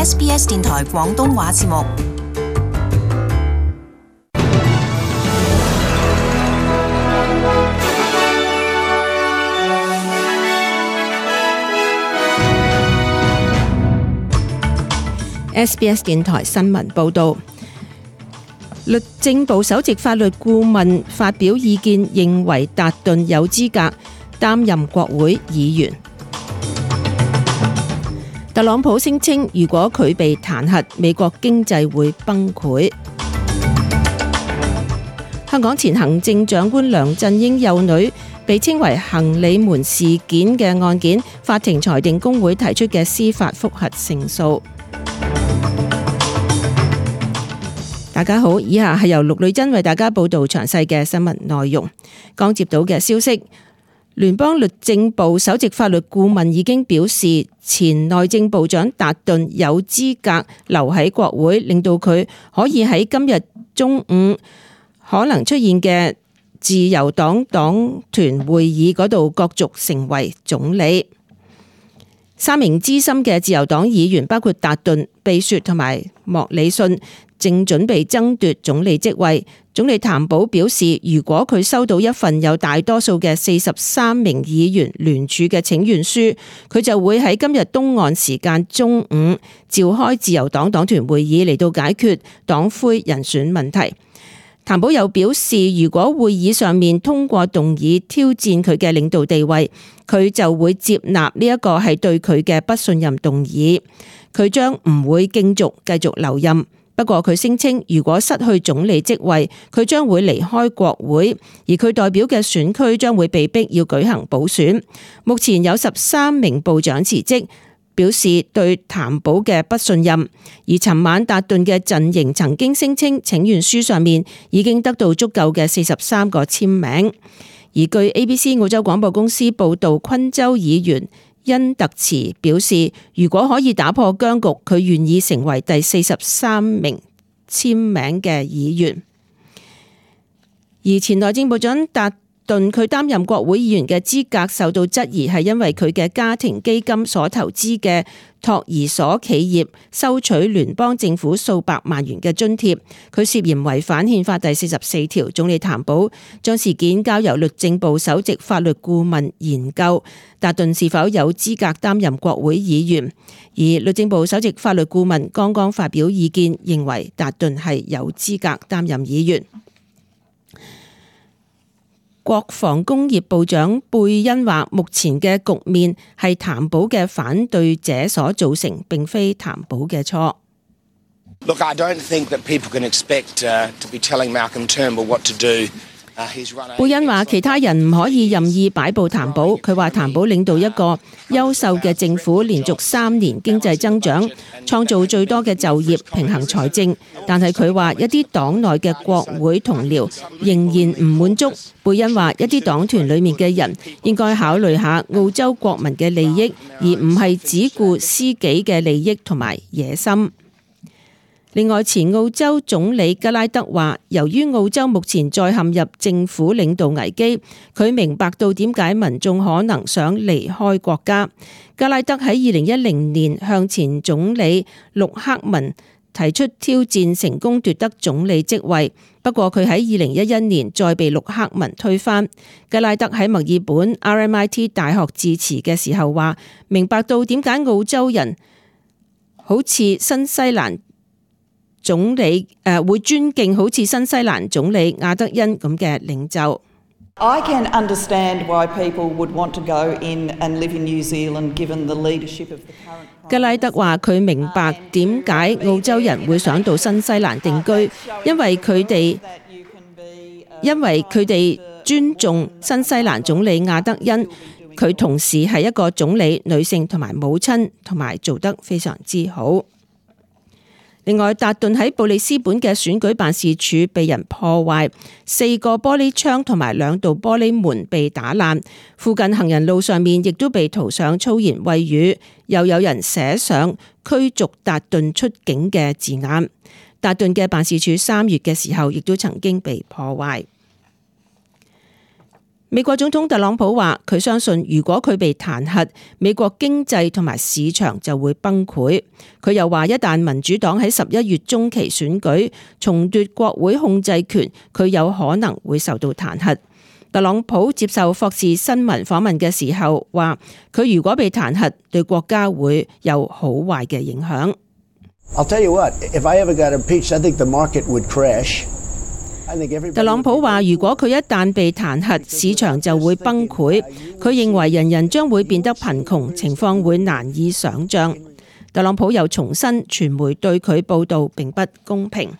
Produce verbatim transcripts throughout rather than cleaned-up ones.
S B S 電台廣東話節目。S B S 電台新聞報導，律政部首席法律顧問發表意見，認為達頓有資格擔任國會議員。特朗普聲稱，如果佢被彈劾，美國經濟會崩潰。香港前行政長官梁振英幼女被稱為行李門事件嘅案件，法庭裁定公會提出嘅司法覆核勝訴。大家好，以下係由陸女珍為大家報道詳細嘅新聞內容。剛接到嘅消息，聯邦律政部首席法律顧問已經表示，前內政部長達頓有資格留喺國會，令到佢可以喺今日中午可能出現嘅自由黨黨團會議嗰度角逐成為總理。三名資深嘅自由黨議員，包括達頓、貝雪同埋莫里遜，正準備爭奪總理職位。總理譚寶表示，如果佢收到一份有大多數嘅四十三名議員聯署嘅請願書，佢就會喺今日東岸時間中午召開自由黨黨團會議嚟到解決黨魁人選問題。譚寶又表示，如果會議上面通過動議挑戰佢嘅領導地位，佢就會接納呢一個係對佢嘅不信任動議，佢將唔會競逐繼續留任。不過佢聲稱，如果失去總理職位，佢將會離開國會，而佢代表嘅選區將會被逼要舉行補選。目前有十三名部長辭職，表示對譚寶嘅不信任。而尋晚達頓嘅陣營曾經聲稱，請願書上面已經得到足夠嘅四十三個簽名。而據 A B C 澳洲廣播公司報道，昆州議員恩特茨表示，如果可以打破僵局，佢願意成為第四十三名簽名嘅議員。而前內政部長達頓佢擔任國會議員嘅資格受到質疑，係因為佢嘅家庭基金所投資嘅托兒所企業收取聯邦政府數百萬元嘅津貼，佢涉嫌違反憲法第四十四條。總理譚寶將事件交由律政部首席法律顧問研究，達頓是否有資格擔任國會議員。而律政部首席法律顧問剛剛發表意見，認為達頓係有資格擔任議員。國防工業部長貝恩話，目前嘅局面係譚寶嘅反對者所造成，並非譚寶嘅錯。Look, I don't think that people can expect uh, to be telling Malcolm Turnbull what to do. 貝恩話，其他人唔可以任意擺布譚寶。佢話譚寶領導一個優秀嘅政府，連續三年經濟增長，創造最多嘅就業，平衡財政。但係佢話一啲黨內嘅國會同僚仍然唔滿足。貝恩話一啲黨團裡面嘅人應該考慮下澳洲國民嘅利益，而唔係只顧私己嘅利益同埋野心。另外，前澳洲總理吉拉德話，由於澳洲目前再陷入政府領導危機，佢明白到點解民眾可能想離開國家。吉拉德喺二零一零年向前總理陸克文提出挑戰，成功奪得總理職位。不過佢喺二零一一年再被陸克文推翻。吉拉德喺墨爾本 R M I T 大學致辭嘅時候話，明白到點解澳洲人好似新西蘭總理誒、呃、會尊敬好似新西蘭總理亞德恩咁嘅領袖。I can understand why people would want to go in and live in New Zealand given the leadership of the current。吉拉德話佢明白點解澳洲人會想到新西蘭定居，因為佢哋因為佢哋尊重新西蘭總理亞德恩，佢同時係一個總理、女性同埋母親，同埋做得非常之好。另外，達頓喺布里斯本嘅選舉辦事處被人破壞，四個玻璃窗同埋兩道玻璃門被打爛，附近行人路上面亦都被塗上粗言穢語，又有人寫上驅逐達頓出境嘅字眼。達頓嘅辦事處三月嘅時候亦都曾經被破壞。美國總統特朗普話，佢相信如果佢被彈劾，美國經濟同埋市場就會崩潰。佢又話，一旦民主黨喺十一月中期選舉重奪國會控制權，佢有可能會受到彈劾。特朗普接受霍士新聞訪問嘅時候話，佢如果被彈劾，對國家會有好壞嘅影響。I'll tell you what, if I ever got impeached, I think the market would crash. 特朗普話，如果佢一旦被彈劾，市場就會崩潰。佢認為人人將會變得貧窮，情況會難以想像。特朗普又重申，傳媒對佢報導並不公平。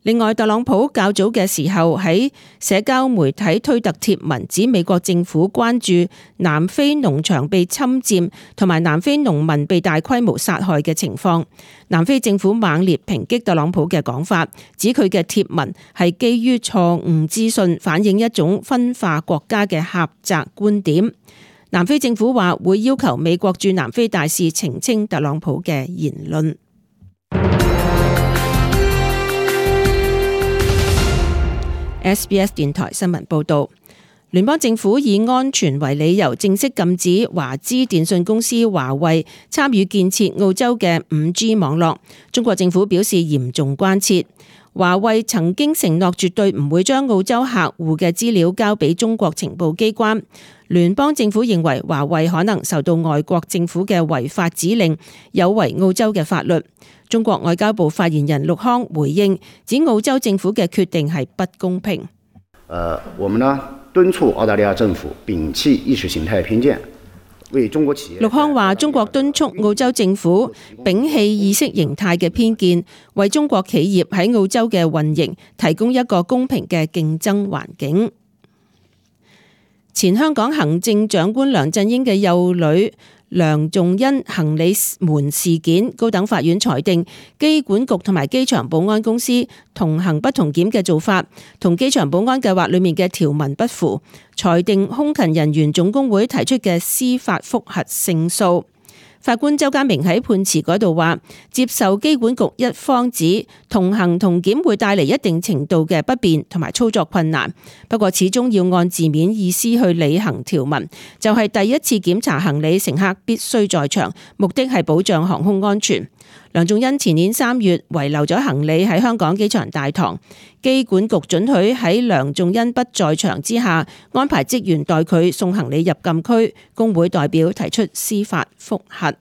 另外，特朗普較早嘅時候喺社交媒體推特貼文，指美國政府關注南非農場被侵佔同埋南非農民被大規模殺害嘅情況。南非政府猛烈抨擊特朗普嘅講法，指佢嘅貼文係基於錯誤資訊，反映一種分化國家嘅狹窄觀點。南非政府話會要求美國駐南非大使澄清特朗普嘅言論。S B S 電台新聞報導，聯邦政府以安全為理由，正式禁止華資電信公司華為參與建設澳洲嘅五 G 網絡。中國政府表示嚴重關切。華為曾經承諾絕對唔會將澳洲客戶嘅資料交俾中國情報機關。聯邦政府認為華為可能受到外國政府嘅違法指令，有違澳洲嘅法律。中國外交部發言人陸康回應，指澳洲政府嘅決定係不公平。呃，我們呢敦促澳大利亞政府摒棄意識形態偏見，為中國企業。陸康話：中國敦促澳洲政府摒棄意識形態嘅偏見，為中國企業喺澳洲嘅運營提供一個公平嘅競爭環境。前香港行政長官梁振英嘅幼女梁仲恩行李門事件，高等法院裁定機管局同埋機場保安公司同行不同檢嘅做法，同機場保安計劃裏面嘅條文不符，裁定空勤人員總工會提出嘅司法覆核勝訴。法官周家明喺判詞嗰度話，接受機管局一方指同行同檢會帶嚟一定程度嘅不便同埋操作困難，不過始終要按字面意思去履行條文，就係第一次檢查行李乘客必須在場，目的係保障航空安全。梁仲恩前年三月遺留咗行李喺香港機場大堂，機管局准許喺梁仲恩不在場之下安排職員代佢送行李入禁區，工會代表提出司法覆核。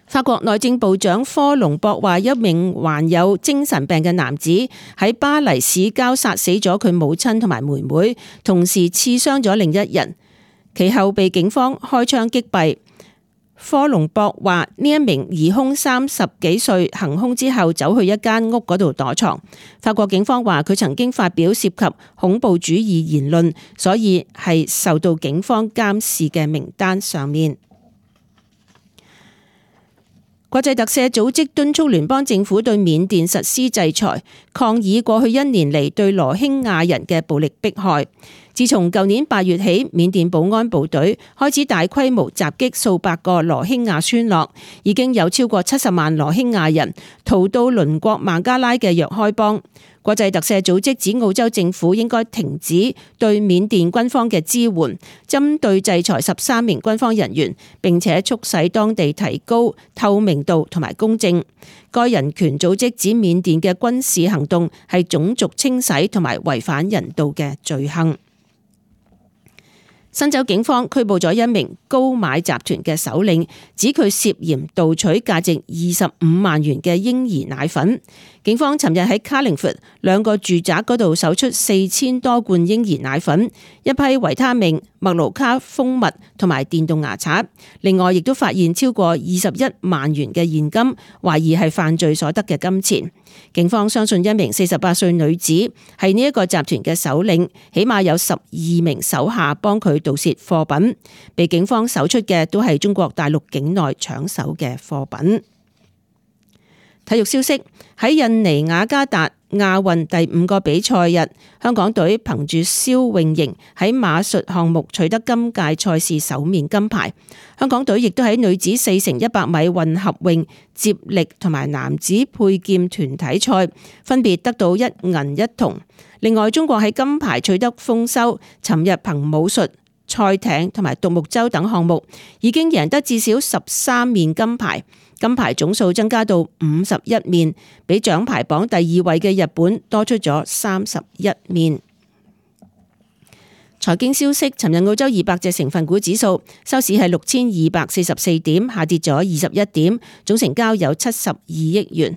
法國內政部長科隆博話，一名患有精神病嘅男子喺巴黎市郊殺死咗佢母親同埋妹妹，同時刺傷咗另一人，其後被警方開槍擊斃。科隆博話，呢一名疑兇三十幾歲，行兇之後走去一間屋嗰度躲藏。法國警方話佢曾經發表涉及恐怖主義言論，所以係受到警方監視嘅名單上面。國際特赦組織敦促聯邦政府對緬甸實施制裁，抗議過去一年嚟對羅興亞人嘅暴力迫害。自從舊年八月起，緬甸保安部隊開始大規模襲擊數百個羅興亞村落，已經有超過七十萬羅興亞人逃到鄰國孟加拉嘅若開邦。國際特赦組織指澳洲政府應該停止對緬甸軍方嘅支援，針對制裁十三名軍方人員，並且促使當地提高透明度同埋公正。該人權組織指緬甸嘅軍事行動係種族清洗同埋違反人道嘅罪行。新州警方拘捕咗一名高買集團嘅首領，指佢涉嫌盜取價值二十五萬元嘅嬰兒奶粉。警方尋日喺卡靈佛兩個住宅嗰度搜出四千多罐嬰兒奶粉、一批維他命、麥盧卡蜂蜜同埋電動牙刷。另外，亦都發現超過二十一萬元嘅現金，懷疑係犯罪所得嘅金錢。警方相信一名四十八歲女子係呢一個集團嘅首領，起碼有十二名手下幫佢盜竊貨品。被警方搜出嘅都係中國大陸境內搶手嘅貨品。體育消息，喺印尼雅加達亞運第五個比賽日，香港隊憑住蕭穎瑩喺馬術項目取得今屆賽事首面金牌。香港隊亦都喺女子四乘一百米混合泳接力同埋男子佩劍團體賽分別得到一銀一銅。另外，中國喺金牌取得豐收，尋日憑武術、賽艇同埋獨木舟等項目已經贏得至少十三面金牌。金牌總數增加到五十一面，比獎牌榜第二位嘅日本多出咗三十一面。財經消息，尋日澳洲二百隻成分股指數收市係六千二百四十四點，下跌咗二十一點，總成交有七十二億元。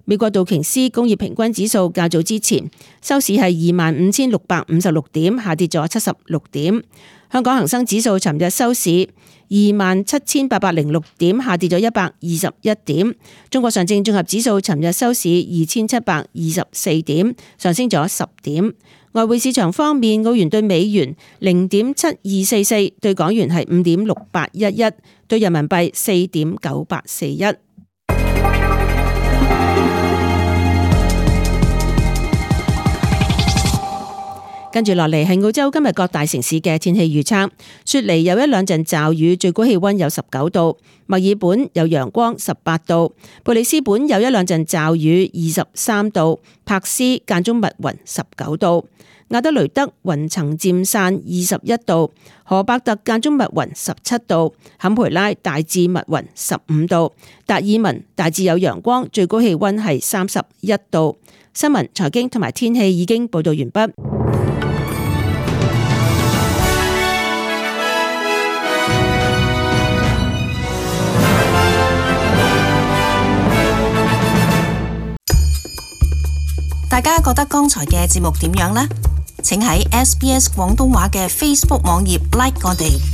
美國道瓊斯工業平均指數較早之前收市係二萬五千六百五十六點，下跌咗七十六點。香港恒生指數尋日收市二萬七千八百零六點，下跌咗一百二十一點。中國上證綜合指數尋日收市二千七百二十四點，上升咗十點。外匯市場方面，澳元對美元零點七二四四，對港元係五點六八一一，對人民幣四點九八四一。跟住落嚟係澳洲今日各大城市嘅天氣預測。雪梨有一兩陣驟雨，最高氣溫有十九度；墨爾本有陽光，十八度；布里斯本有一兩陣驟雨，二十三度；柏斯間中密雲，十九度；亞德雷德雲層漸散，二十一度；荷伯特間中密雲，十七度；坎培拉大致密雲，十五度；達爾文大致有陽光，最高氣溫係三十一度。新聞、財經同埋天氣已經報道完畢。大家覺得剛才嘅節目點樣呢？請喺 S B S 廣東話嘅 Facebook 網頁 like 我哋。